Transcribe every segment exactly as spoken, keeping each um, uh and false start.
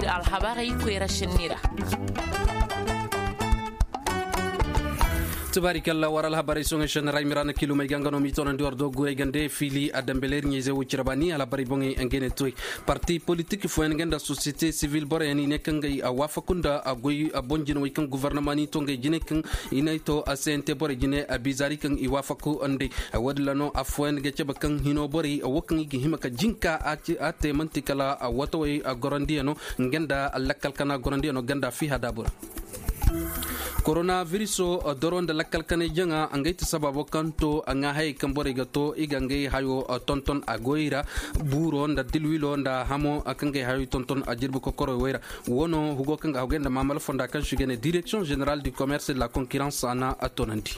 Alhabarey koyra senni ra. Tubaari kalla war alhabarey soŋey senni ra i mira na kilumey ga nga no m'i toonandi war dooguwey gande fili a dambeleri ɲayzey wo cire ba ni alhabarey boŋey nga ne toy. Parti politik fooyaŋ nga nda sosiyete sivil boroyaŋ i ne kaŋ gay a waafaku nda a goy a boŋ jinawey kaŋ guvarnama n'i to ngey jine kaŋ i n'ay to a seyante borey jine a biizaari kaŋ i waafaku nd'ey. Woodin ra no affooyaŋ ga cabe kaŋ hino borey wo kaŋ i ga hima ka jinka a te man'ti kala a watawey a gorandiyaŋo nga nda lakkal kana gorandiyaŋo ganda fiha daabura. Korona viriso doro nda lakkal kanay jaŋa ngey ti sababo kaŋ to a ŋaa hayey kaŋ borey ga to i ga ngey hayo tonton a goy ra. Buuro nda dilwilo nda hamo kaŋ gay hayo tonton a jirbi kokoroy wey ra. Wo no hugo kaŋ ga hagay nda maamala fonda kaŋ si ga ne direksiyoŋ zeneral du commerce de la concurrence a na a toonandi.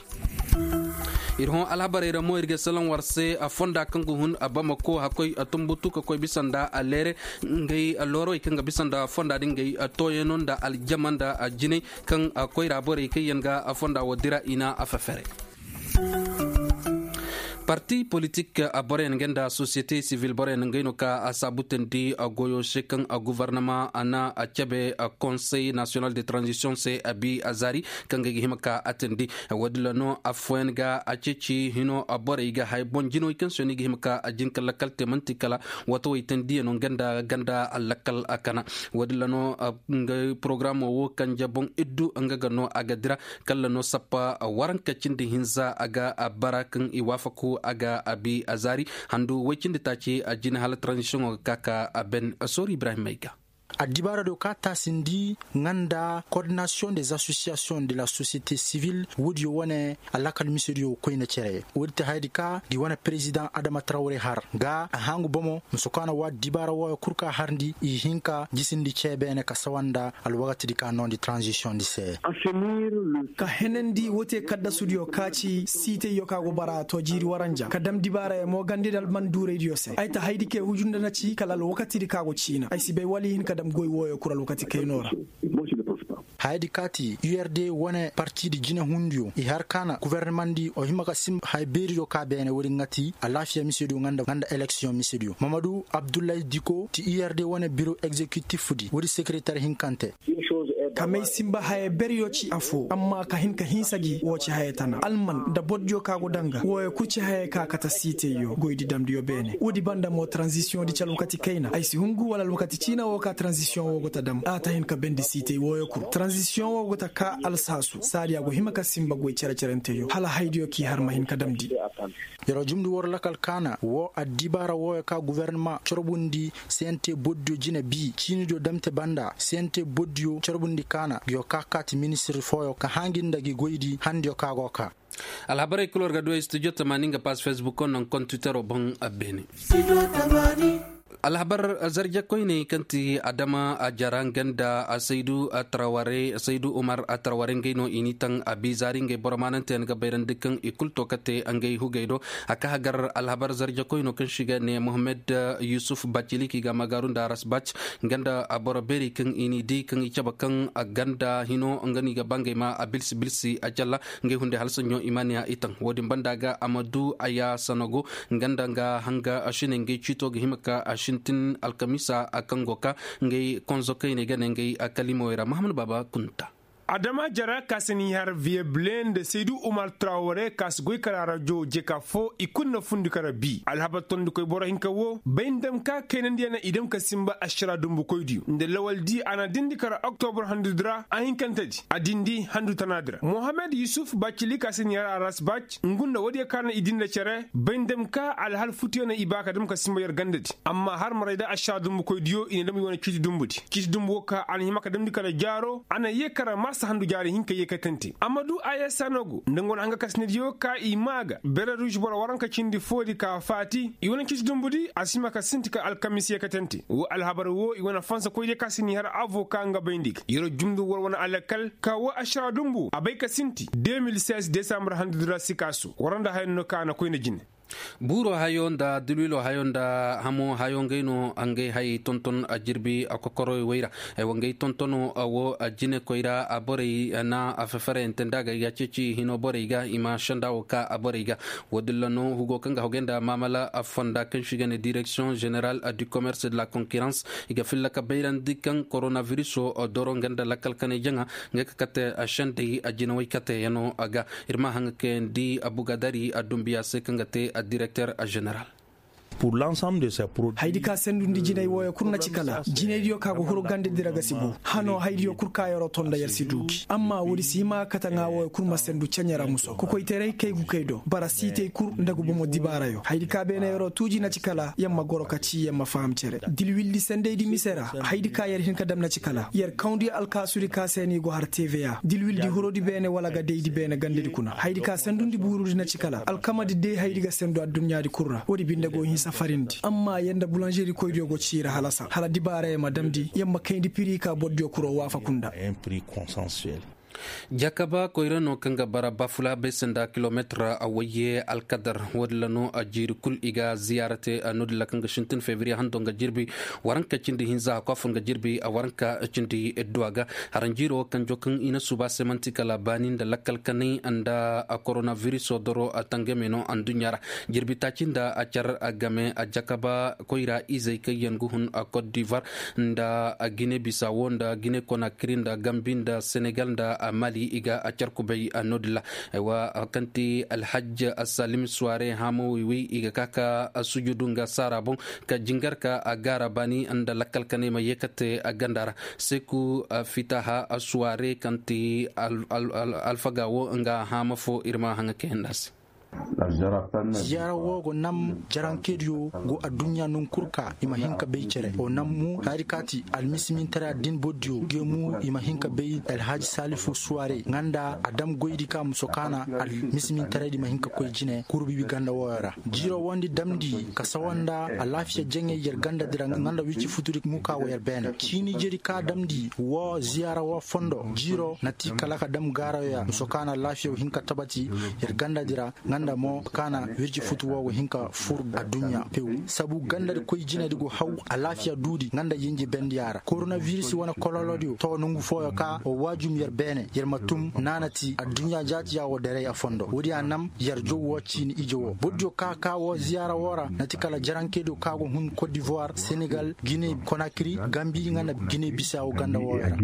Ir hõ alhabarey ra mo ir ga salaŋ war se a fonda kaŋ ga hun a bamako hakkoy a tumbutu ka koy bisa nda a leere. Ngey loorowey kaŋ ga bisa nda fonda din ngey tooyano nda aljama nda jinay kaŋ koyra borey kaŋ yaŋ ga fonda wo dira i na a fefere. Parti politik boroyaŋ nga nda sosiyete sivil boroyaŋ ngey no ka a saabutandi goyo se kaŋ guvarnama a na a cabe konsey nasiyonal de tranzisiyoŋ se a bi a zaari kaŋ ga hima ka a tandi. Woodin ra no affooyaŋ ga a ceeci hino borey ga hay boŋ jinoy kaŋ se no i ga hima ka a jin ka lakkal te man'ti kala watawey tandiyano nga nda ganda lakkal kana. Woodin ra no nga porogaraamo wo kanje boŋ iddu nga ga no a ga dira. Kala no sappa waranka cindi hinza a ga a bara kaŋ i waafaku a ga a bi a zaari handu way cindi taaci a jina hala taranzisiyoŋo ga ka ka a ben. Soori ibrahim ay ga. Addibaara do ka taasindi nga nda koordinasiyoŋ des asosiyasiyoŋ de la sosiyete sivil woodiyo wane a lakal misediyo koyne cere. Woodi ti hayadi ka di wane perezidaŋ adama tarawre har ga a hangu bomo musu kaana wa addibaara wooyo kul ka harndi i hin ka jisindi cee beene ka sawa nda alwakatidi ka noondi taranzisiyoŋdi se. Ka henandi wote kaddasudiyo ka ci siitayyo ka go bara to jiiri waranja ka dam dibaarayo mo gandi nda almanduuraydiyo se ay ta haydi ke huju nda na ci kala alwakatidi ka go ciina ay si bay wala i hin ka dam goy wooyo kul alwakati kayno ra. Hayadi kaati urd wane partidi jinehundiyo i har kaana guvernemandi o hima ka simba haya beeriyo ka beene woodi nga ti alaafiya misediyo nga nda eleksiyoŋ misediyo mamadu abdullahi diko ti urd wane biro egzekitifdi woodi sekeretar hinkante. Ka may simba haya beryo ci afo amma ka hin ka hinsa gi wo ci haya tana alman nda bordiyo ka go danga wooyo kul ci haya ka kate siitayyo goydi damdiyo beene woodi banda mo taranzisiyoŋdi ci alwakati kayna ay si hungu wala alwakati ciina wo ka taranzisiyoŋ wo go ta dam a ta hin ka bendi siitay wooyo kul taranzisiyoŋ wo go ta ka alsaasu saadiya go hima ka simba goy cere-cerenteyo hala haydiyo k'i har ma hin ka damndi. Yer jumndi war lakal kaana woo addibaara wooyo ka guverneman corbundi sente boddiyo jine bii ciinidiyo damte banda sente boddiyo corbundi kaana yo ka kaati ministir fooyo ka haŋi nda gi goydi handiyo ka go ka. Alhabarey kul war ga du ay studio tamaani nga paas fesbuko naŋ kontitero boŋ a beene. Alhabar zarje koyney kaŋ ti adama a jara nga nda saydu a taraware saydu umar a taraware ngey no i n'i taŋ a biizaari ngey boro maananteyaŋ ga bayrandi kaŋ i kul to ka te ngey hugey do. A ka hagar alhabar zarje koyno kaŋ si ga ne mohammed yusuf bacili k'i ga magaaru nda rasbac nga nda boro beeri kaŋ i n'i di kaŋ i cabe kaŋ a ganda hino nga no i ga ba ngey ma a bilsi bilsi a calla. Ngey hunday hala saɲɲo i ma ne a i taŋ wo-din banda ga a ma du a ya sanago nga nda nga hanga a sine ngey ciito ga hima ka a sintin alkamisa a kaŋ go ka ngey konzo kayney ga ne ngey a kalimawey ra mahamad baaba kunta. Adama jara ka si n'i har viyable nda saydu umar traware ka si goy kala rajo jeka fo i kulu na fundi kara bi alhabar tondikoy boro hinka wo bay nda dam ka kaynandiyaŋ na i dam ka simba ašara dumbukoydiyo nda lawaldi a na dindi kara oktobor handudi ra a hinkantedi a dindi handu tanadi ra mohammed yusuf bacili ka si n'i har aras bac ngu nda woodiyo ka na i dinda cere bay nda dam ka alhal futiyo na i ba ka dam ka simba yer gandadi amma har maray da ašara dumbukoydiyo i na dam i wane ciiti dumbudi ciiti dumbu wo ka a na hima ka damndi kala jaaro a na yee kara marsa handu jaari hinka yeekatante a ma du a yee sanagu nda nga wane hanga kasinadiyo ka i maa ga bere ruuž boro waranka cindi foodi ka faati i wane ciiti dumbudi a si hima ka sinti kala alkamis yeekatante woo alhabar woo i wane fansakoydiyo ka si n'i har avoka nga bayndi ga yeroo jumdu war wane alakal ka woo ašara dumbu a bay ka sinti de mil seize desambur handudi ra sikaasu war nda haya no ka a na koyna jine. Buuro hayo nda dilwilo hayo nda hamo hayo ngey no ngey hayey tonton a jirbi a kokoroy wey ra. Aywa ngey tontono wo a jinekoy ra a borey na a fefereyante nda ga i ga ceeci hino borey ga i ma senda wo ka a borey ga. Wo- din ra no hugo kaŋ ga hogey nda maamala fonda kaŋ se i ga ne direksiyoŋ zeneral du commerce de la concurrence i ga filla ka bayrandi kaŋ koronabiriso doro nga nda lakkal kanay jaŋa nga ka kate sendey a jinawey kateyaŋo ga. Ir ma haŋ ga kayandi abugadari a dumbiya se kaŋ ga te a direkter zeneral. Haydi ka sendundi jinay wooyo kul na ci kala jinaydiyo ka go huru ganda dira ga si bu hano haydiyo kul ka yaro to nda yar si du gi amma woodi si hima kate ŋaa wooyo kul ma sendu ceɲe ra muso kokoytaray kay gu kay do bara siitay kul nda ga bomo dibaarayo haydi ka beene yaro tuuji na ci kala yar ma goro ka ci yar ma faham cere dilwildi sendaydi mise ra. Haydi ka yar hin ka dam na ci kala yar kawndi alkaasudi ka se no i go har tva dilwildi hurudi beene wala ga daydi beene gandadi kuna haydi ka sendundi buurudi na ci kala alkamadi day haydi ga sendu adduɲɲaadi kul ra woodi binde go hin safarindi amma yar nda bulanžerikoydiyo go ciiri halasa hala dibaarayey ma damndi yar ma kayndi piri ka bordiyo kuro waafaku nda. Jakaba koyra no kaŋ ga bara bafula bay se nda kilometir wayye alkadar woodin ra no jiiri kul i ga ziyaara te. Noodin ra kaŋ ga sintin febriye hando nga jirbi waranka cindi hinza hakwa fun ga jirbi waranka cindi idduwa ga. Haranjiiro wo kanjo kaŋ i na suuba se man'ti kala baani nda lakkal kanay nda koronabiriso doro tangame no adduɲɲa ra. Jirbi taaci nda a car game a jakaba koyra izey kaŋ yaŋ ga hun a kot divar nda gine bisawo nda gine konakiri nda gambi nda senegal nda mali i ga a car kubay. Noodin ra aywa kaŋ ti alhajj salim suware hamo wiwi i ga ka ka sujudu nga saara boŋ ka jingar ka a gaara baani nda lakkal kanay ma yeekate a ganda ra. Seku fitaha suware kaŋ ti alfaga wo nga hamo fo ir ma haŋa kayandi a se. Ziyaara wo go nam jarankediyo go adduɲɲa nangu kul ka i ma hin ka bay cere o nam mu hari kaati almisimintaray addin bordiyo geemu i ma hin ka bay alhaji salifu suware nga nda a dam goydi ka muso kaana almisimintaraydi ma hin ka koy jine kurbibi ganda wooyo ra. Jiiro wondi damndi ka sawa nda alaafiya jaŋey yer gandadi ra nga nda wirci futudi mu ka wo yer beene ciini jeri ka damndi woo ziyaara woo fondo jiiro na ti kala ka dam gaarayo ya muso kaana alaafiya wo hin ka tabati yer gandadi ra nga nda mo kaana wirji futu wo go hin ka fur adduɲɲa pew sabu gandadi koy jinedi go haw alaafiya duudi nga nda yinji bendiya ra koronabiris wane kololodiyo to nongu fooyo ka wo waajum yer beene yer ma tum naanati adduɲɲa jaatiya wo deray a fondo woodiya nam yer jow wo ciini ije wo bordiyo ka ka wo ziyaara wo ra na ti kala jarankediyo ka go hun kot divoir senegal gine konakiri gambi nga nda gine bisawo ganda wooyo ra.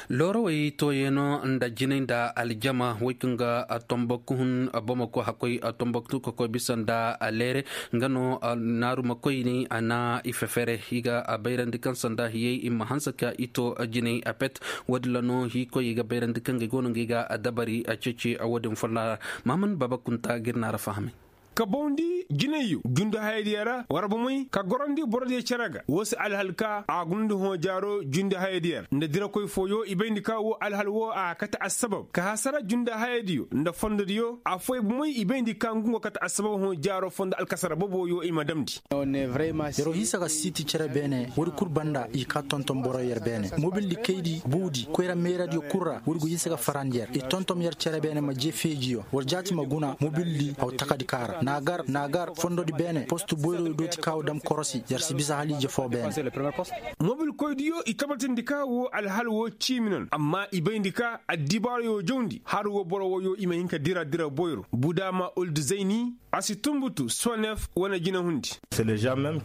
Loorowey tooyey no nda jinay nda aljama wey kaŋ ga tomboktu hun bomako hakkoy tomboktu ka koy bisa nda leere nga no naarumakoyney a na i fefere i ga bayrandi kaŋ sanda hiyey i ma hanse ka i to jinay apet. Woodin ra no hiikoyey ga bayrandi kaŋ ga ay go no nga ay ga dabari ceeci woodin folloŋ ra. Mahammad baaba kunta ga ir naara fahamay. Ka bawndi jinayyo jundi hayadiyo ra war bomey ka gorandi borodiyo cere ga woo se alhal ka a guna nda hõ jaaro jundi hayadiyo ra nda dirakoy fooyo i bayndi ka woo alhal woo a kate assabab ka hasara jundi hayadiyo nda fondodiyo afooyaŋ bomey i bayndi ka ngu nga kate assabab hõ jaaro fondo alkasara boboyo i ma damndi. Yer'o hinsa ka siiti cere beene woodi kul banda i ka tonton boro yer beene mobildi kaydi buudi koyra meeradiyo kul ra woodi go hinsa ka farandi yer i tonton yer cere beene ma je feejiyo war jaati ma guna mobildi haw takadi ka ra naagar naagar fondodi beene post boyroyo dooti ka wo dam korosi yer si bisa haliije foo beene. Mobilkoydiyo i tabatindi ka wo alhal wo ciimi non amma i bayndi ka addibaarayo jawndi har wo boro woyo i ma hin ka dira dira boyro budaama uldu zayni a si tunbutu sonef wane jinahundi.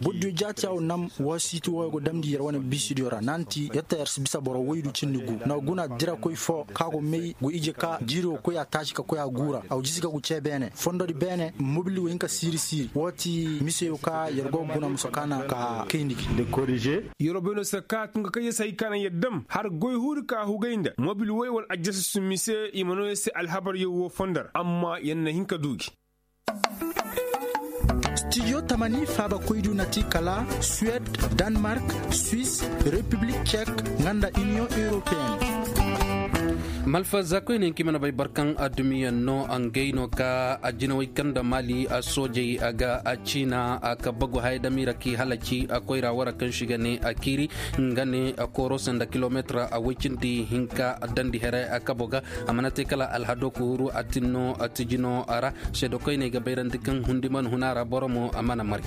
Bordiyo jaati a wo nam woo siiti wooyo go damndi yer wane biisidiyo ra naŋ ti yer ta yer si bisa boro woydu cindi gu na guna dirakoy foo ka go may go ije ka jiiri wo koy a taaci ka koy a guura a wo jisi ka gu cee beene fondodi beene mobil wo hin ka siiri siiri woo ti miseyo ka yer go guna musa kaana ka kayndi gi. Yer'o bay no se ka tunga kaŋ yer si hay ka naŋ yer dam har goy huuri ka hugay nda mobil woy wala ajjasasu mise i ma noo yer se alhabaryo woo fondo ra amma yer na hin ka du gi. Stijo tamani faabakoydiyo na ti kala suwed, danmark, swis, repiblik cek, nga nda iniyoŋ europeyenne. Malfa za koyne nki mana bay barkan adumiyan no. Ngey no ka ajinawey kaŋ da mali soojey ga a ciina ka bagu haya damiira k'i halaci koyra wara kaŋ si ga ne a kiiri nga ne kooro sanda kilomeetir a woy cindi hinka dandi here kabo ga. A mana te kala alhado kuhuru a tinno tijino ra seedo koyney ga bayrandi kaŋ hundi mana huna ra boro mo a mana mari.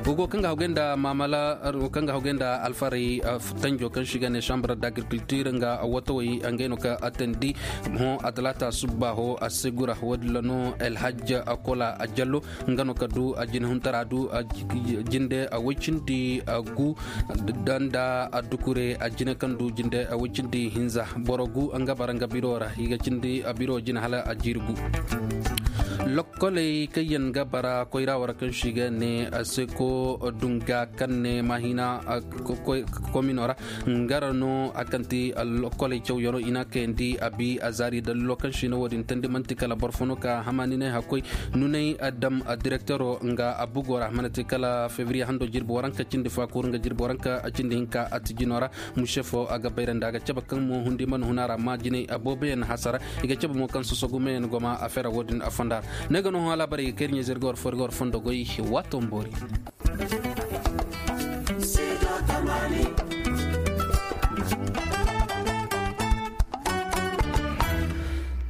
Wogo kaŋ ga hawgay nda maamala kaŋ ga hawgay nda alfaray tanjo kaŋ si ga ne chambre d'agriculture nga watawey ngey no ka atandi. Hõ a talaata subba hõ a se gura woodin ra no alhajj kola a jallo nga no ka du a jinhuntara du jinde a woy cindi gu nda a dukure a jine kaŋ du jinde a woy cindi hinza boro gu nga bara nga biro ra i ga cindi a biro jine hala a jiiri gu. Lokkoley kaŋ yaŋ ga bara koyra wara kaŋ si ga ne a seko dunga kaŋ ne mahina komino ra. Nga ra no a kaŋ ti lokkoley cawyano i na kayandi a bi a zaari dalilo kaŋ si no wo-din tandi man'ti kala boro fo no ka hamaninay hakkoy nunay dam direktero nga a bugo ra mana te kala febriye hando jirbi waranka cindi fa kuru nga jirbi waranka cindi hinka a tijino ra. Muse fo a ga bayrandi a ga cabe kaŋ mo hundi mana huna ra ma jinay a booboyaŋ hasara i ga cabe mo kaŋ sosogumeyaŋ goma a fera wo-din a fonda ra. Ne ga no hõ alaabarey ga kayri ɲeezey ir ga war fo ir ga war fondo goy. Waato ma boori.